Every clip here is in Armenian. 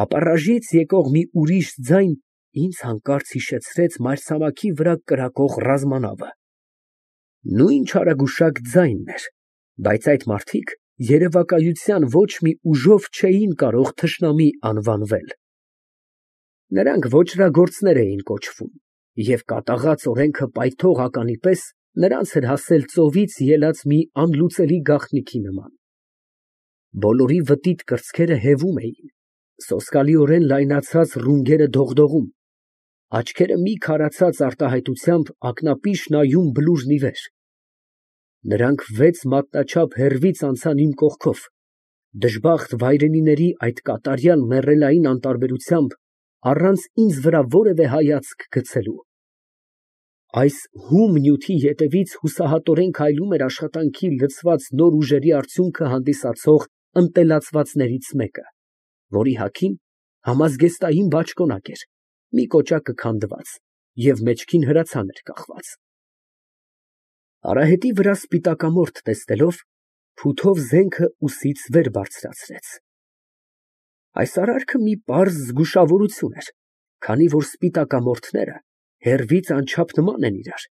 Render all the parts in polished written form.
Ապառաժից եկող մի ուրիշ ձայն ինձ հանկարծ հիշեցրեց մայրցամաքի վրա կրակող ռազմանավը։ Նույն չարագուշակ ձայնն էր, բայց այդ մարդիկ երևակայության ոչ մի ուժով չէին կարող թշնամի անվանվել։ Նրանք ոճրագործներ էին կոչվում, և կատաղած օրենքը պայթող ականի պես նրանց էր հասել ծովից ելած մի անլուծելի գաղտնիքի նման։ Բոլորի վտիտ կրծքերը հևում էին, սոսկալիորեն լայնացած ռունգերը դողդողում, աչքերը մի քարացած արտահայտությամբ ակնապիշ նայում բլուրն ի վեր։ Նրանք 6 մատնաչափ հեռվից անցան իմ կողքով, դժբախտ վայրենիների այդ կատարյալ մեռելային անտարբերությամբ, առանց ինձ վրա որևէ հայացք գցելու։ Այս հում նյութի ետևից հուսահատորեն քայլում էր աշխատանքի լցված նոր ուժերի արդյունքը հանդիսացող ընտելացվածներից մեկը, որի հագին համազգեստային բաճկոնակ էր, մի կոճակը քանդված և մեջքին հրացան էր կախված։ Արահետի վրա սպիտակամորթ տեսնելով, փութով զենքը ուսից վեր բարձրացրեց։ Այս արարքը մի պարզ զգուշավորություն էր, քանի որ սպիտակամորթները հեռվից անչափ նման են իրար,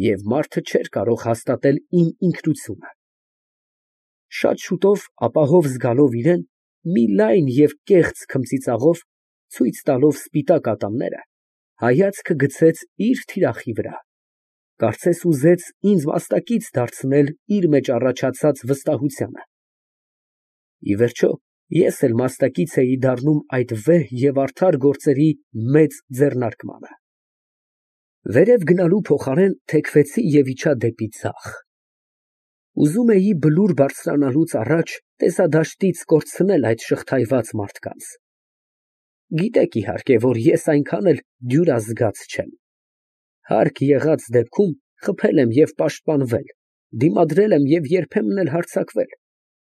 և մարդը չէր կարող հաստատել իմ ինքնությունը։ Շատ շուտով, ապահով զգալով իրան, մի լայն և կեղծ քմծիծաղով, ցույց տալով սպիտակ ատամները, հայացքը գցեց իր թիրախի վրա, կարծես ուզեց ինձ մաստակից դարձնել իր մեջ առաջացած վստահությանը։ Ի վերջո, ես էլ մաստակից էի դառնում այդ վեհ և արդար գործերի մեծ ձեռնարկմանը։ Վերև գնալու փոխարեն թեքվեցի և իջա դեպի ձախ։ Ուզում էի բլուր բարձրանալուց առաջ տեսադաշտից կորցնել այդ շղթայված մարդկանց։ Գիտեք, իհարկե, որ ես այնքան էլ դյուրազգաց չեմ։ Հարկ եղած դեպքում խփել եմ և պաշտպանվել, դիմադրել եմ և երբեմն էլ հարձակվել։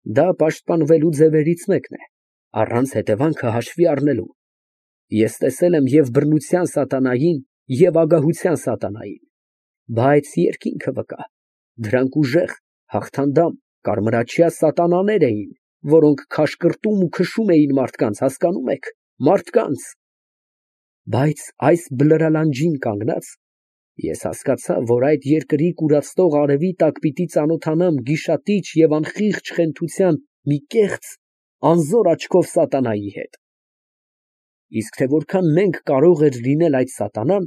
Դա պաշտպանվելու ձևերից մեկն է, առանց հետևանքը հաշվի առնելու։ Ես տեսել եմ և բռնության սատանային, և ագահության սատանային, բայց երկինքը վկա, դրանք ուժեղ, հաղթանդամ, կարմրաչյա սատանաներ էին, որոնք քաշկրտում ու քշում էին մարդկանց, հասկանում եք, մարդկանց։ Բայց այս բլրալանջին կանգնած, ես հասկացա, որ այդ երկրի կուրացնող արևի տակ պիտի ծանոթանամ գիշատիչ և անխիղճ խենթության մի կեղծ, անզոր աչքով սատանայի հետ։ Իսկ թե որքան մենք կարող էր լինել այդ սատանան,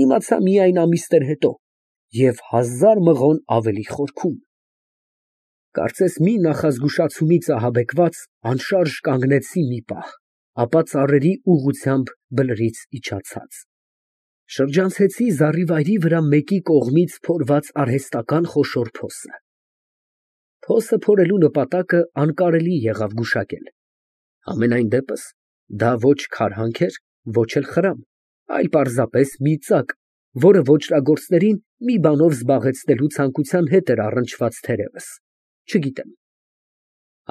իմացա միայն ամիսներ հետո և 1000 մղոն ավելի խորքում։ Կարծես մի նախազգուշացումից ահաբեկված, անշարժ կանգնեցի մի պահ, ապա ծառերի ուղղությամբ բլրից իջացած շրջանցեցի զառիվայրի վրա մեկի կողմից փորված արհեստական խոշոր փոսը։ Փոսը փորելու նպատակը անկարելի եղավ գուշակել։ Համենայն դեպս, դա ոչ քարհանք էր, ոչ էլ խրամ, այլ պարզապես մի ծակ, որը ոճրագործներին մի բանով զբաղեցնելու ցանկության հետ էր առնչված թերևս, չգիտեմ։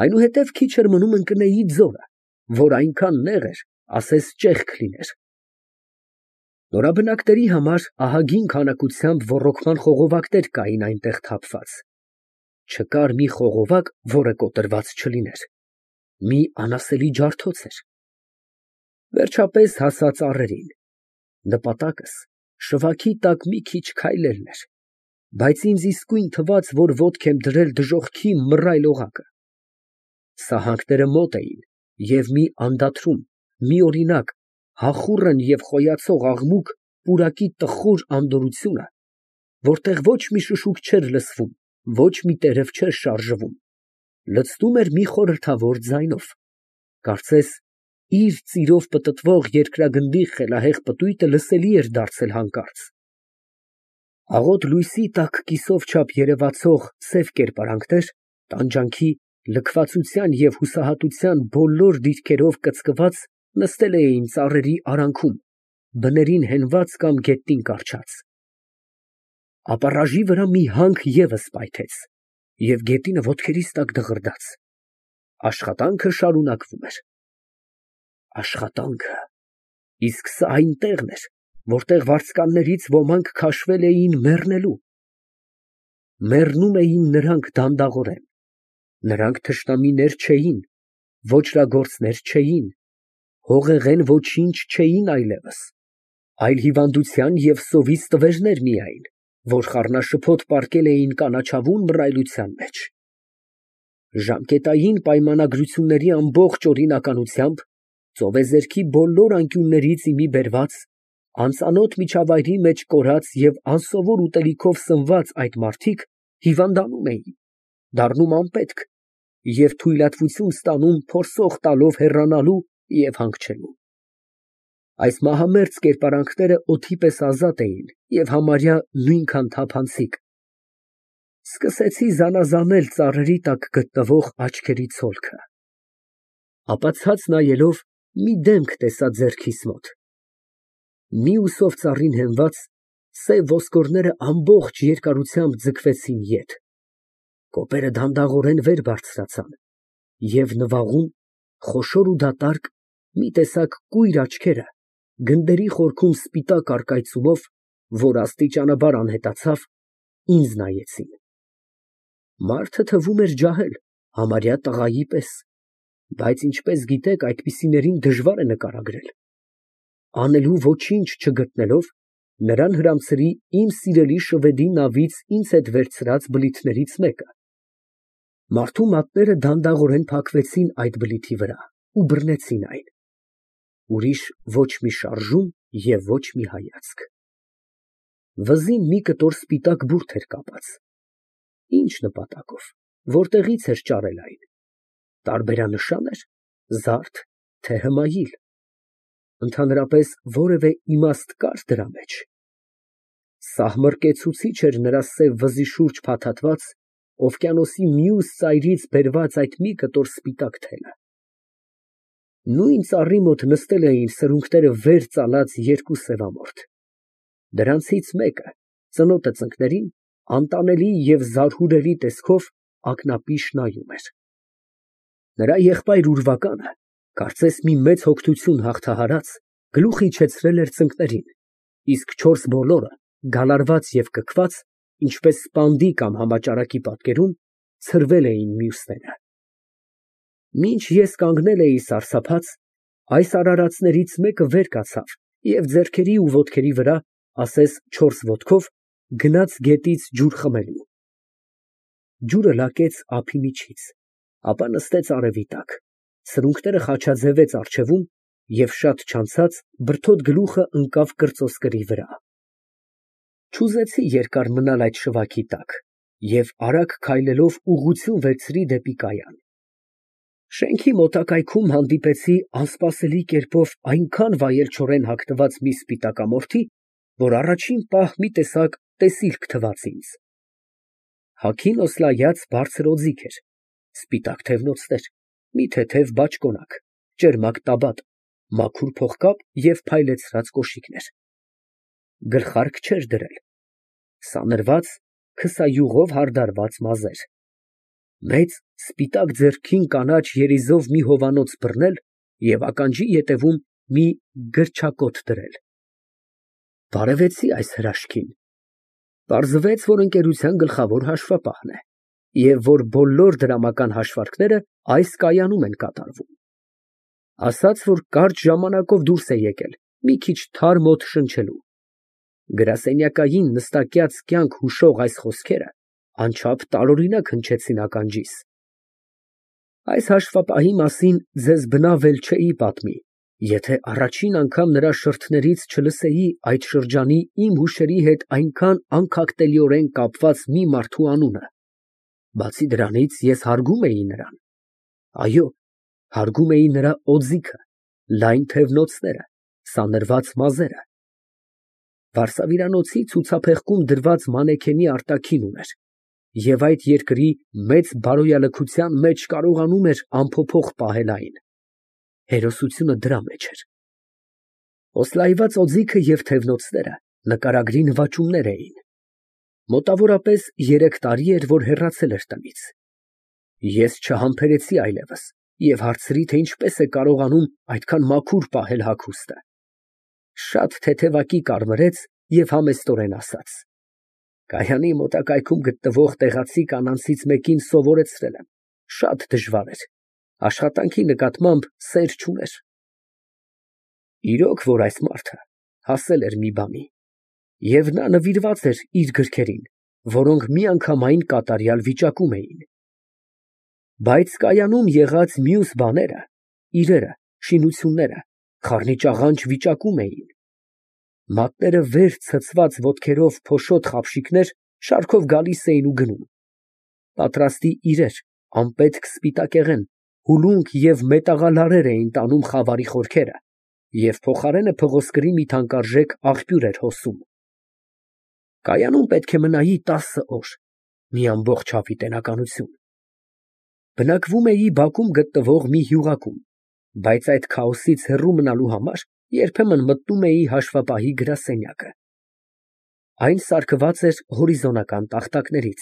Այնուհետև քիչ էր մնում ընկնեի ձորը, որ այնքան նեղ էր, ասես ճեղք լիներ։ Նորաբնակների համար ահագին քանակությամբ ոռոգման խողովակներ կային այնտեղ թափված։ Չկար մի խողովակ, որը կոտրված չլիներ։ Մի անասելի ջարդոց էր։ Վերջապես հասա ծառերին։ Նպատակս շվաքի տակ մի քիչ քայլելն էր, բայց ինձ իսկույն թվաց, որ ոտք եմ դրել դժոխքի մռայլ օղակը։ Սահանքները մոտ էին, և մի անդադարում, միօրինակ, հախուռն և խոյացող աղմուկ պուրակի տխուր անդորրությունը, որտեղ ոչ մի շշուկ չէր լսվում, ոչ մի տերև չէր շարժվում, լցնում էր մի խորհրդավոր ձայնով, կարծես իր ծիրով պտտվող երկրագնդի խելահեղ պտույտը լսելի էր դարձել հանկարծ։ Աղոտ լույսի տաք կիսով չափ երևացող սև կերպարանքներ, տանջանքի, լքվածության և հուսահատության բոլոր դիրքերով կծկված նստել էին ծառերի արանքում, բներին հենված կամ գետնին կառչած։ Ապառաժի վրա մի հանք ևս պայթեց, և գետինը ոտքերիս տակ դղրդաց։ Աշխատանքը շարունակվում էր։ Աշխատանքը… Իսկ սա այն տեղն էր, որտեղ վարձկաններից ոմանք քաշվել էին մեռնելու։ Մեռնում էին նրանք դանդաղորեն։ Նրանք թշնամիներ չէին, ոճրագործներ չէին, Հողեղեն ոչինչ չէին այլևս, այլ հիվանդության և սովից տվերներ միայն, որ խառնաշփոթ պառկել էին կանաչավուն մռայլության մեջ։ Ժամկետային պայմանագրությունների ամբողջ օրինականությամբ, ծովեզերքի բոլոր անկյուններից ի մի բերված, անծանոթ միջավայրի մեջ կորած և անսովոր ուտելիքով սնված այդ մարդիկ հիվանդանում էին, դառնում անպետք և թույլատվություն ստանում փորձող տալով հեռանալու և հանգչելու։ Այս մահամերձ կերպարանքները օդի պես ազատ էին և համարյա նույնքան թափանցիկ։ Սկսեցի զանազանել ծառերի տակ գտնվող աչքերի ցոլքը, ապա ցած նայելով մի դեմք տեսա ձեռքիս մոտ։ Մյուս ծառին հենված, սև ոսկորները ամբողջ երկարությամբ ձգվեցին ետ, կոպերը դանդաղորեն վեր բարձրացան և նվաղում, խոշոր ու դատարկ, մի տեսակ կույր աչքերը գնդերի խորքում սպիտակ առկայծումով, որ աստիճանաբար անհետացավ, ինձ նայեցին։ Մարդը թվում էր ջահել, համարյա տղայի պես, բայց ինչպես գիտեք, այդպիսիներին դժվար է նկարագրել։ Անելու ոչինչ չգտնելով, նրան հրամցրի իմ սիրելի շվեդի նավից ինձ հետ վերցրած բլիթներից մեկը։ Մարդու մատները դանդաղորեն փակվեցին այդ բլիթի վրա ու բռնեցին այն։ Ուրիշ ոչ մի շարժում և ոչ մի հայացք։ Վզին մի կտոր սպիտակ բուրդ էր կապած։ Ինչ նպատակով, որտեղից էր ճարել այն։ Տարբերանշա՞ն էր, զարդ, թե հմայիլ։ Ընդհանրապես որևէ իմաստ կա՞ր դրա մեջ։ Սահմռկեցուցիչ էր նրա սև վզի շուրջ փաթաթված, օվկիանոսի մյուս ծայրից բերված այդ մի կտոր սպիտակ թելը։ Նույն ծառի մոտ նստել էին սրունքները վեր ծալած երկու սևամորթ։ Դրանցից մեկը, ծնոտը ծնկներին, անտանելի և զարհուրելի տեսքով ակնապիշ նայում էր։ Նրա եղբայր ուրվականը, կարծես մի մեծ հոգնություն հաղթահարած, գլուխ իջեցրել էր ծնկներին, իսկ չորս բոլորը, գալարված և կքված, ինչպես սպանդի կամ համաճարակի պատկերում, ցրվել էին մյուսները։ Մինչ ես կանգնել էի սարսափած, այս արարածներից մեկը վեր կացավ և ձեռքերի ու ոտքերի վրա, ասես չորս ոտքով, գնաց գետից ջուր խմելու։ Ջուրը լակեց ափի միջից, ապա նստեց արևի տակ, սրունքները խաչաձևեց առջևում և շատ չանցած բրդոտ գլուխը ընկավ կրծոսկրի վրա։ Չուզեցի երկար մնալ այդ շվաքի տակ և արագ քայլելով ուղղություն վերցրի դեպի կայան։ Շենքի մոտակայքում հանդիպեցի անսպասելի կերպով այնքան վայելչորեն հագնված մի սպիտակամորթի, որ առաջին պահ մի տեսակ տեսիլք թվաց ինձ։ Հագին օսլայած բարձր օձիք էր, սպիտակ թևնոցներ, մի թեթև բաճկոնակ, ճերմակ տաբատ, մաքուր փողկապ և փայլեցրած կոշիկներ։ Գլխարկ չէր դրել, սանրված, քսայուղով հարդարված մազեր։ Մեծ, սպիտակ ձեռքին կանաչ երիզով մի հովանոց բռնել և ականջի ետևում մի գրչակոտ դրել։ Բարևեցի այս հրաշքին։ Պարզվեց, որ ընկերության գլխավոր հաշվապահն է և որ բոլոր դրամական հաշվարկները այս կայանում են կատարվում։ Ասաց, որ կարճ ժամանակով դուրս է եկել, մի քիչ թարմ օդ շնչելու։ Գրասենյակային նստակյաց կյանք հուշող այս խոսքերը անչափ տարօրինակ հնչեցին ականջիս։ Այս հաշվապահի մասին ձեզ բնավ էլ չէի պատմի, եթե առաջին անգամ նրա շրթներից չլսեի այդ շրջանի իմ հուշերի հետ այնքան անքակտելիորեն կապված մի մարդու անունը։ Բացի դրանից, ես հարգում էի նրան։ Այո, հարգում էի նրա օձիքը, լայն թևնոցները, սանրված մազերը։ Վարսավիրանոցի ցուցափեղկում դրված մանեքենի արտաքին ուներ և այդ երկրի մեծ բարոյալքության մեջ կարողանում էր անփոփոխ պահել այն։ Հերոսությունը դրա մեջ էր։ Օսլայված օձիքը և թևնոցները նկարագրի նվաճումներ էին։ Մոտավորապես 3 տարի էր, որ հեռացել էր տնից։ Ես չհամբերեցի այլևս և հարցրի, թե ինչպես է կարողանում այդքան մաքուր պահել հագուստը։ Շատ թեթևակի կարմրեց և համեստորեն ասաց. «Կայանի մոտակայքում գտնվող տեղացի կանանցից մեկին սովորեցրել եմ, շատ դժվար էր, աշխատանքի նկատմամբ սեր չուներ։ Իրոք որ այս մարդը հասել էր մի բանի, և նա նվիրված էր իր գրքերին, որոնք միանգամայն կատարյալ վիճակում էին։ Բայց կայանում եղած մյուս բաները, իրերը, շինությունները խառնիճաղանճ վիճակում էին։ Մատները վեր ցցված ոտքերով փոշոտ խաբշիկներ շարքով գալիս էին ու գնում։ Պատրաստի իրեր, անպետք սպիտակեղեն, հուլունք և մետաղալարեր էին տանում խավարի խորքերը, և փոխարենը փղոսկրի մի թանկարժեք աղբյուր էր հոսում։ Կայանում պետք է մնայի 10 օր, մի ամբողջ հավիտենականություն։ Բնակվում էի բակում գտնվող մի հյուղակում, բայց այդ քաոսից հեռու մնալու համար երբեմն մտնում էի հաշվապահի գրասենյակը։ Այն սարքված էր հորիզոնական տախտակներից,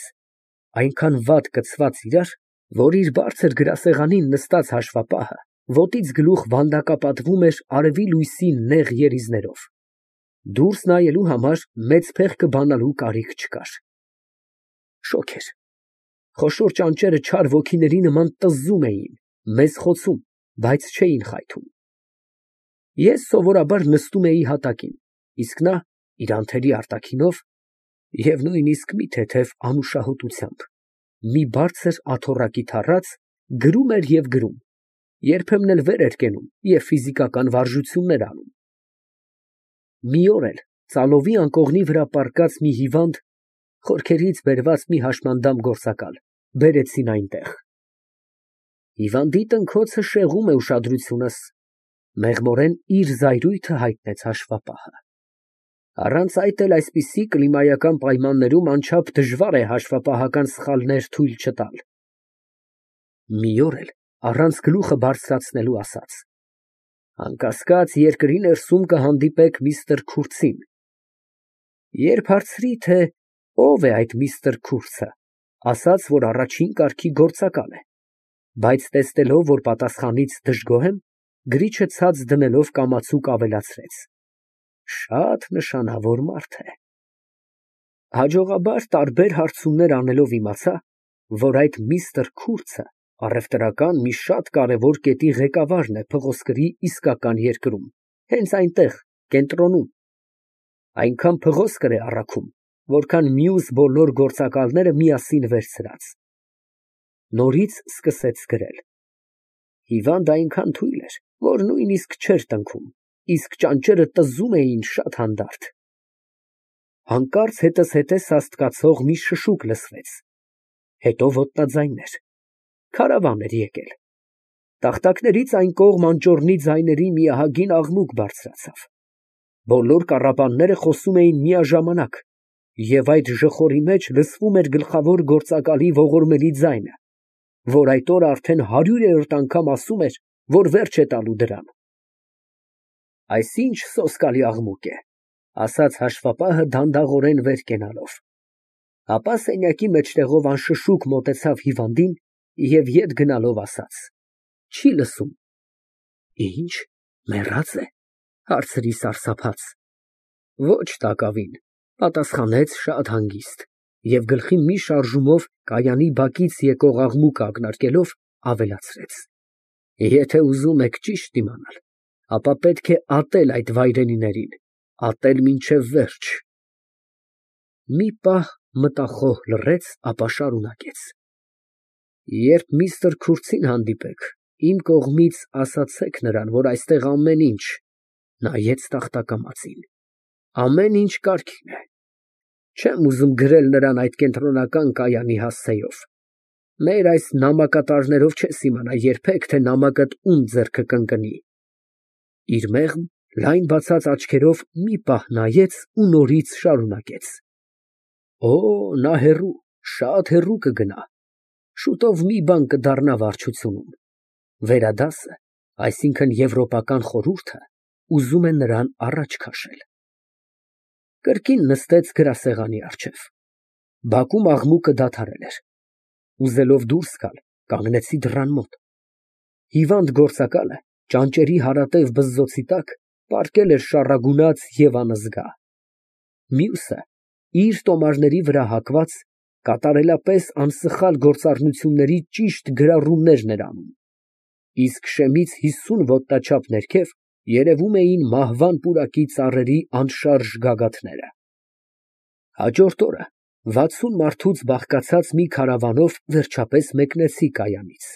այնքան վատ կցված իրար, որ իր բարձր գրասեղանին նստած հաշվապահը ոտից գլուխ վանդակապատվում էր արևի լույսի նեղ երիզներով։ Դուրս նայելու համար մեծ փեղկը բանալու կարիք չկար։ Շոգ էր։ Խոշոր ճանճերը չար ոգիների նման տզզում էին, մեզ խոցում, բայց չէին խայթում։ Ես սովորաբար նստում էի հատակին, իսկ նա իր անթերի արտաքինով և նույնիսկ մի թեթև անուշահոտությամբ, մի բարձր աթոռակի թառած, գրում էր և գրում, երբեմն էլ վեր էր կենում և ֆիզիկական վարժություններ անում։ Մի օր էլ ծալովի անկողնի վրա պառկած մի հիվանդ, խորքերից բերված մի հաշմանդամ գործակալ բերեցին այնտեղ։ Հիվանդի տնքոցը շեղում է ուշադրությունս, մեղմորեն իր զայրույթը հայտնեց հաշվապահը։ Առանց այդ էլ այսպիսի կլիմայական պայմաններում անչափ դժվար է հաշվապահական սխալներ թույլ չտալ։ Մի օր էլ առանց գլուխը բարձրացնելու ասաց. անկասկած երկրի ներսում կհանդիպեք միստր Քուրցին։ Երբ հարցրի, թե ով է այդ միստր Քուրցը, ասաց, որ առաջին կարգի գործակալ է, բայց տեսնելով, որ պատասխանից դժգոհ եմ, գրիչը ցած դնելով կամացուկ ավելացրեց. շատ նշանավոր մարդ է։ Հաջողաբար տարբեր հարցումներ անելով իմացա, որ այդ միստր Քուրցը առևտրական մի շատ կարևոր կետի ղեկավարն է փղոսկրի իսկական երկրում, հենց այնտեղ, կենտրոնում։ Այնքան փղոսկր է առաքում, որքան մյուս բոլոր գործակալները միասին վերցրած։ Նորից սկսեց գրել։ Հիվանդը այնքան թույլ էր, որ նույնիսկ չէր տնքում, իսկ ճանճերը տզզում էին շատ հանդարտ։ Հանկարծ հետզհետե սաստկացող մի շշուկ լսվեց, հետո ոտնաձայներ, քարավան էր եկել։ Տախտակներից այն կողմ անճոռնի ձայների մի ահագին աղմուկ բարձրացավ։ Բոլոր կառապանները խոսում էին միաժամանակ, և այդ ժխորի մեջ լսվում էր գլխավոր գործակալի ողորմելի ձայնը, որ այդ օրը արդեն 100-րդ անգամ ասում էր, որ վերջ է տալու դրան։ Այս ինչ սոսկալի աղմուկ է, ասաց հաշվապահը դանդաղորեն վեր կենալով, ապա սենյակի մեջտեղով անշշուկ մոտեցավ հիվանդին և ետ գնալով ասաց. չի լսում։ Ինչ, մեռած է, հարցրի սարսափած։ Ոչ տակավին, պատասխանեց շատ հանգիստ և գլխի մի շարժումով կայանի բակից եկող աղմուկը ակնարկելով, ավելացրեց. եթե ուզում եք ճիշտ իմանալ, ապա պետք է ատել այդ վայրենիներին, ատել մինչև վերջ։ Մի պահ մտախոհ լռեց, ապա շարունակեց. երբ միստր Քուրցին հանդիպեք, իմ կողմից ասացեք նրան, որ այստեղ ամեն ինչ, նայեց տախտակամածին, ամեն ինչ կարգին է։ Չեմ ուզում գրել նրան այդ կենտրոնական կայանի հասցեով։ Մեր այս նամակատարներով չես իմանա երբեք, թե նամակդ ում ձեռքը կընկնի։ Իր մեղմ, լայն բացած աչքերով մի պահ նայեց ու նորից շարունակեց. Օ, նա հեռու, շատ հեռու կգնա, շուտով մի բան կդառնա վարչությունում։ Վերադասը, այսինքն Եվրոպական խորհուրդը, ուզում է նրան առաջ քաշել։ Կրկին նստեց գրասեղանի առջև։ Բակում աղմուկը դադարել էր։ Ուզելով դուրս գալ, կանգնեցի դռան մոտ։ Հիվանդ գործակալը ճանճերի հարատև բզզոցի տակ պառկել էր շառագունած և անզգա։ Մյուսը, իր տոմարների վրա հագված, կատարելապես անսխալ գործառնությունների ճիշտ գրառումներն էր անում, իսկ շեմից 50 ոտնաչափ ներքև Երևում էին մահվան պուրակի ծառերի անշարժ գագաթները։ Հաջորդ օրը 60 մարդուց բաղկացած մի քարավանով վերջապես մեկնեցի կայանից։